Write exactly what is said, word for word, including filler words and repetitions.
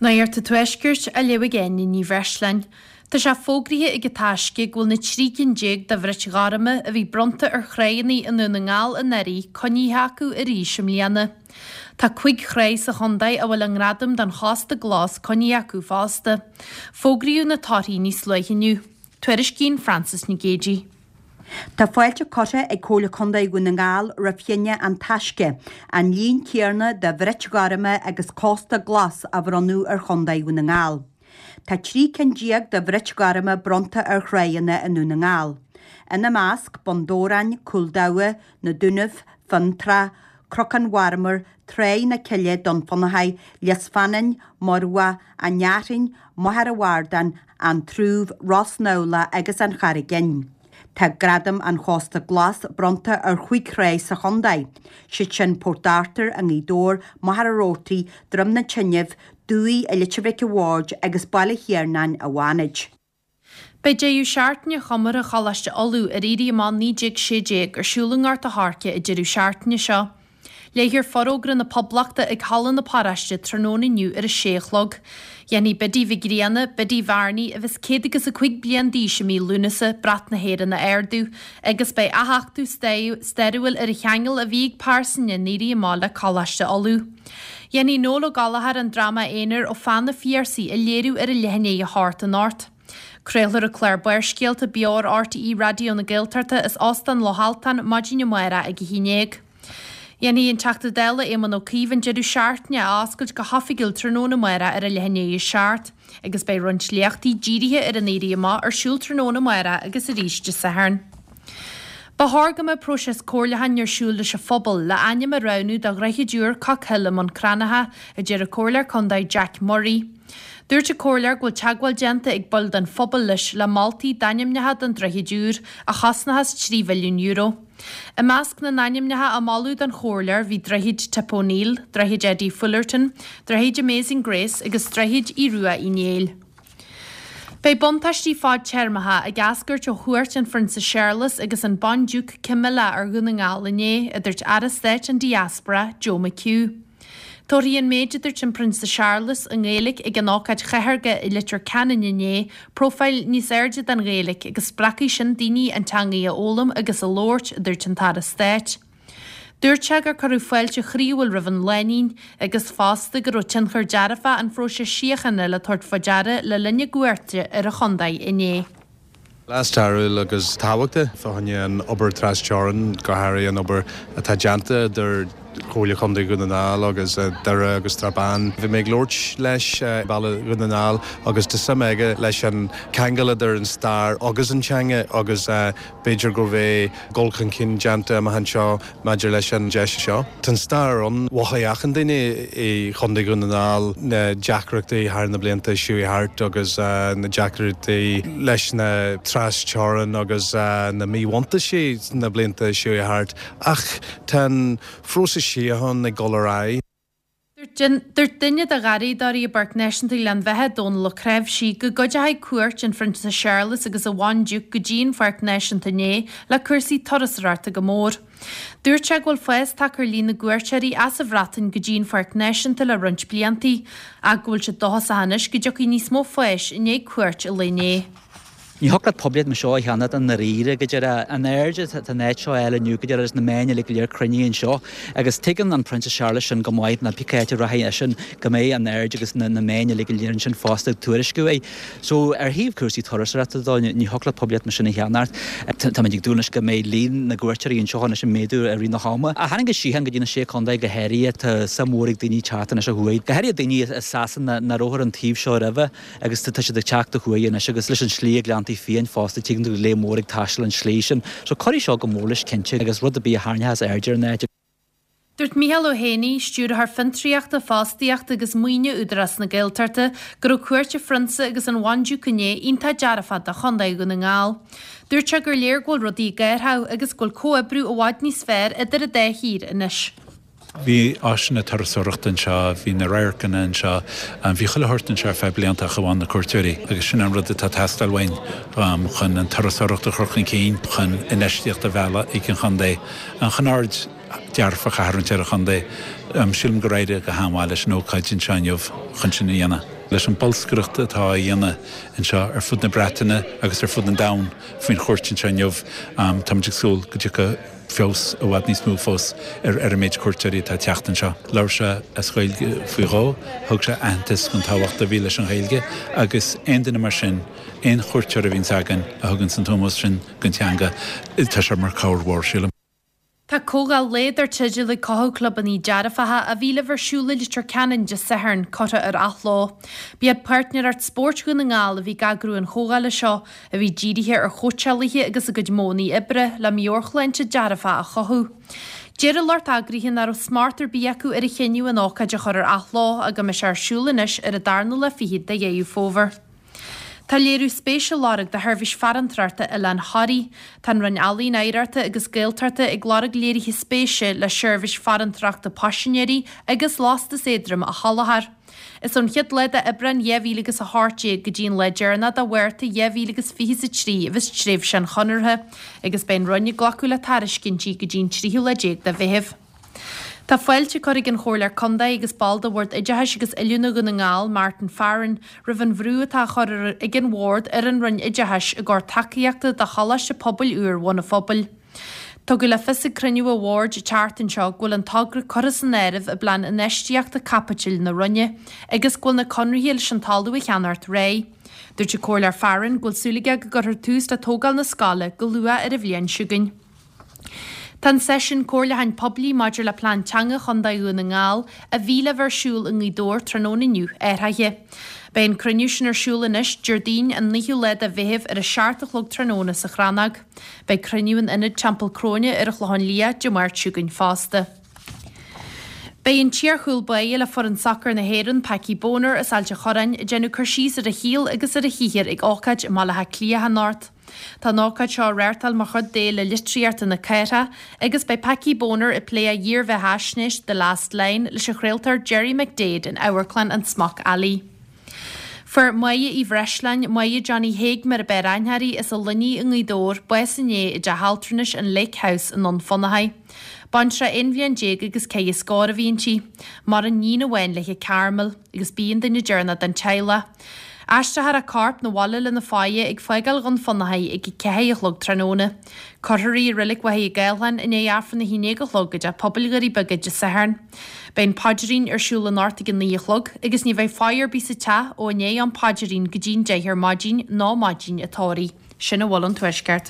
Nuacht an Tuaiscirt á léamh ag Áine Ní Bhreisleáin. Tá sé fógraithe ag an Taisce go bhfuil na trí cinn déag de bhrait ghorma a bhí bronnta ar thráigheanna i nDún na nGall anuraidh coinnithe acu arís i mbliana. Tá cúig thráigh sa chontae a bhfuil a ngradam don Chósta Glas coinnithe acu fosta. Fógraíodh na torthaí níos luaithe inniu. Tuairiscíonn Frances Nic Géadaigh. Tá fáilte curtha ag Comhairle Contae Dhún na nGall roimh chinneadh an Taisce, an líon céanna de bhrait ghorma agus Cósta Glas a bhronnadh ar Chontae Dhún na nGall. Tá trí cinn déag de bhrait ghorma bronnta ar thráigheanna i nDún na nGall. Ina measc Bun Dobhráin, Cúl Dabha, Na Dúnaibh, Fionntrá, Cnocán Mharmair, Tráigh na Cille, Dún Fionnachaidh, Lios Fanainn, Murbhach, An Fhearthainn, Machaire Bhardáin, An Trúbh, Ros nAbhla agus An Charraig Fhinn. Tá gradam an Chósta Glas bronnta ar chúig thrá sa chontae. Siad sin Port Arthur i nGaoth Dobhair, Machaire Rabhartaigh, Droim na Teinimh, Dumhaigh i Leitir Mhic a' Bhaird agus Baile Thiarnáin i bhFánaid. Beidh deireadh seachtaine chomórtha Choláiste Uladh ar Éirí Amach naoi déag sé déag ar siúl i nGort a' Choirce an deireadh seachtaine seo. Léifear Forógra na Poblachta ag Halla na Paróiste tráthnóna inniu ar a sé a chlog. Dhéanfaidh Biddy Mhic Grianna, Biddy Bhearnaí, a bheas céad agus a cúig bliain d'aois i mí Lúnasa, brat na hÉireann a ardú, agus beidh athachtú stairiúil ar an cheangal a bhí ag pearsain an Éirí Amach le Coláiste Uladh. Dhéanfaidh Noel Ó Gallchóir an dráma aonair Ó Pheann an Phiarsaigh a léiriú ar a leath i ndiaidh a hocht anocht. Craolfar an clár Barrscéalta beo ar RTÉ Raidió na Gaeltachta as Óstán Loch Altan maidin amárach ag a haon déag. Dhéanfaidh an Teachta Dála Éamon Ó Cuív an deireadh seachtaine a oscailt go hoifigiúil tráthnóna amárach ar a leath i ndiaidh a seacht, agus beidh roinnt léachtaí dírithe ar an Éirí Amach ar siúl tráthnóna amárach agus arís Dé Sathairn. Ba chóir go mbeadh próiseas comhairliúcháin ar siúl leis an phobal le ainm a roghnú do dhroichead úr Cockhill i mBun Cranncha, a deir an Comhairleoir Contae Jack Murray. Dúirt an Comhairleoir go bhfuil teagmháil déanta ag baill den phobal leis le moltaí d'ainmneacha don droichead úr, a chosnóchas trí mhilliún euro. I measc na n-ainmneacha a moladh don chomhairleoir bhí Droichead Tip O'Neill, Droichead Eddie Fullerton, Droichead Amazing Grace agus Droichead Aodh Rua Uí Néill. Beidh buntáistí fadtéarmacha ag eascairt ó chuairt an Phrionsa Séarlas agus an Bandiúc Camilla ar Dhún na nGall inné, a dúirt Aire Stáit an Diaspora, Joe McHugh. Tabharfaidh an méid a dúirt an Prionsa Séarlas i nGaeilge ag an ócáid chathartha i Leitir Ceanainn inné profile níos airde den Ghaeilge agus spreagfaidh sin daoine an teanga a fhoghlaim agus a labhairt, a dúirt an tAire Stáit. Dúirt sé gur cuireadh fáilte chroíúil roimh an lánúin agus fosta go raibh tionchar dearfach an phróisis síochána le tabhairt faoi deara le linn a gcuairte ar an chontae inné. Lá stairiúil agus tábhachtach fá choinne an obair trasteorann, go háirithe an obair atá déanta idir Chomhairle Chontae Dhún na nGall agus Doire agus Srath Bán. Bhí mé ag labhairt leis baile Dhún na nGall agus tá suim aige leis an ceangal idir an stair agus an teanga agus b'fhéidir go bhfuil dul chun cinn déanta amach anseo maidir leis an deis seo. Tá an stair ann mhothaigh achan duine i Chontae Dhún na nGall na deacrachtaí thar na blianta seo thart agus na deacrachtaí leis na trasteorann agus na míbhuntáistí na blianta seo thart ach tá an phróiseas síochána ag dul ar aghaidh. Dúirt duine de gharraíodóirí i bPáirc Náisiúnta Ghleann Bheatha Dónal Ó Creabhsí go gcuideoidh cuairt an Phrionsa Séarlas agus an Bhandiúc go dtí an Pháirc Náisiúnta inné le cúrsaí turasóireachta go mór. Dúirt sé go bhfuil fás tagtha ar líon na gcuairteoirí as an Bhreatain go dtí an Pháirc Náisiúnta le roinnt blianta, ach go bhfuil sé dóchasach anois go dtiocfaidh níos mó fáis i ndiaidh cuairt an lae inné. Ní thiocfadh leat poiblíocht mar seo a cheannacht i ndáiríre go deireadh an aird atá an áit seo a fháil inniu go deireadh agus na meáin uilig go léir cruinnithe anseo agus tuigeann an Prionsa Séarlas sin go maith ná pé áit a rachaidh eisean go mbeidh an aird agus na meáin uilig go léir ansin fosta ag tuairisciú é. So ar thaobh cúrsaí turasóireachta dó ní thiocfadh leat poiblíocht mar sin a cheannacht. Táimid ag dúil anois go mbeidh líon na gcuairteoirí anseo anois ag méadú i rith na hama. A tharraing an síocháin go dtí na sé chontae go háirithe tá suim mhór ag daoine teacht anois ó thuaidh. Go háirithe daoine i Sasana nach raibh ar an taobh seo roimhe agus tá siad ag teacht ó thuaidh anois agus leis an slí ag Gleanntaí Fiáin fosta tuigeann tú lear mór ag taisteal an slí sin. So cuirfidh seo go mór leis cinnte agus rud ar bith a tharraingeochas aird ar an áit. Dúirt Micheál Ó Héanaí, Stiúrthóir Fiontraíochta, Fostaíochta agus Maoine Údarás na Gaeltachta, go raibh cuairt an Phrionsa agus an Bhandiúc inné iontach dearfach do Chontae Dhún na nGall. Dúirt sé gur léir go bhfuil rudaí ag athrú agus go bhfuil comhoibriú i bhfad níos fearr idir an dá thír anois. Bhí áiseanna turasóireachta anseo, bhí na radharcanna anseo, bhí chuile shórt anseo ar feadh blianta ach amháin na cuairteoirí agus sin an rud atá ag teastáil uainn chun an turasóireacht a chur chun cinn, chun infheistíocht a mhealladh ag an chontae, chun aird dearfach a tharraingt ar an chontae. Sílim gur éirigh go han-mhaith leis an ócáid anseo inniu chun sin a dhéanamh. Leis an bolscaireacht atá á dhéanamh anseo ar fud na Breataine agus ar fud an domhain faoin chuairt anseo inniu, táimid ag súil go dtiocfaidh feabhas i bhfad níos mó fós ar ar an méid cuairteoirí atá ag teacht anseo. Labhair sé as Gaeilge faoi dhó, thug sé aitheantas don tábhacht a bhí leis an Ghaeilge agus aon duine mar sin, aon chuairteoir a bhíonns againn a thuganns an t-ómós sin don teanga, tá sé mar chabhair mhór, sílim. Tá comhdháil lae dar teideal Ag Cothú Clubanna Dearfacha a bhí le bheith ar siúl i Leitir Ceanainn Dé Sathairn curtha ar athló. B'iad Páirtnéireacht Spóirt Dhún na nGall a bhí ag eagrú an chomhdhála seo, a bhí dírithe ar chóitseálaithe agus a gcuid modhanna oibre le meabhairshláinte dearfach a chothú. Deir an lucht eagraithe nach raibh smacht ar bith acu ar a chinneadh an ócáid a chur ar athló ach go mbeidh sé ar siúl anois ar an darna lá fichead de Dheireadh Fómhair. Tá léiriú spéise á lorg do sheirbhís farantóireachta Oileán Thoraí. Tá an Roinn Ealaíon, Oidhreachta agus Gaeltachta ag lorg léirithe spéise le seirbhís farantóireachta paisinéirí agus lastas éadrom a sholáthar. Is ón chéad lá d'Aibreán dhá mhíle agus a hocht déag go dtí an lá deireanach de Mhárta dhá mhíle agus fiche is a trí a bheas tréimhse an chonartha, agus beidh an Roinn ag glacadh le tairiscintí go dtí an tríú lá déag de Mheitheamh. Tá fáilte curtha ag an Chomhairleoir Contae agus ball de Bhord Oideachais agus Oiliúna Dhún na nGall, Martin Farren, roimh an bhrú atá á chur ag an Bhord ar an Roinn Oideachais i gcomhair tacaíochta do Choláiste Pobail úr Bhun an Phobail. Tugadh le fios ag cruinniú an Bhoird an tseachtain seo go bhfuil an togra curtha san áireamh i bplean infheistíochta caipitil na Roinne agus go bhfuil na conarthaí leis an talamh a cheannacht réidh. Dúirt an Comhairleoir Farren go bhfuil súil aige go gcuirfear tús le tógáil na scoile go luath ar an bhliain seo chugainn. Tá an seisiún comhairliúcháin poiblí maidir le Plean Teanga Chontae Dhún na nGall, a bhí le bheith ar siúl i nGaoth Dobhair tráthnóna inniu, athraithe. Beidh an cruinniú sin ar siúl anois, Déardaoin an naoú lá de Mheitheamh ar a seacht a chlog tráthnóna sa Chrannóg. Beidh cruinniú in Ionad Teampall Cróine ar an Chlochán Liath Dé Máirt seo chugainn fosta. Beidh an t-iar-chúl báire le foireann sacair na hÉireann, Packie Bonner, as Ailt an Chorráin, ag déanamh cur síos ar a shaol agus ar a shaothar ag ócáid i mBaile Átha Cliath anocht. Tá an ócáid seo á reáchtáil mar chuid d'Fhéile Litríochta na Cathrach agus beidh Packie Bonner ag plé a dhírbheathaisnéis The Last Line leis an chraoltóir Gerry McDaid in Amharclann an Smock Alley. Fuair Máire Uí Bhreisleáin, Máire Johnny Thaidhg mar a b'fhearr aithne uirthi, as an Luinnigh i nGaoth Dobhair, bás inné i dteach altranais an Lake House i nDún Fionnachaidh. Baintreach aon bhliain déag agus ceithre scór a bhí inti. Maireann iníon amháin léi, Carmel, agus b'í an duine deireanach den teaghlach. Aistreofar a corp 'na bhaile lena faire ag fágáil Dhún Fionnachaidh ag a ceathair a chlog tráthnóna. Cuirfear í i Reilig Mhachaire Gathlán i ndiaidh Aifreann a haon déag a chlog i dTeach Pobail Dhoirí Beaga Dé Sathairn. Beidh an paidrín ar siúl anocht ag a naoi a chlog agus ní bheidh faire ar bith sa teach ó i ndiaidh an paidrín go dtí'n deich ar maidin nó maidin an tórraimh. Sin a bhfuil ón Tuaisceart.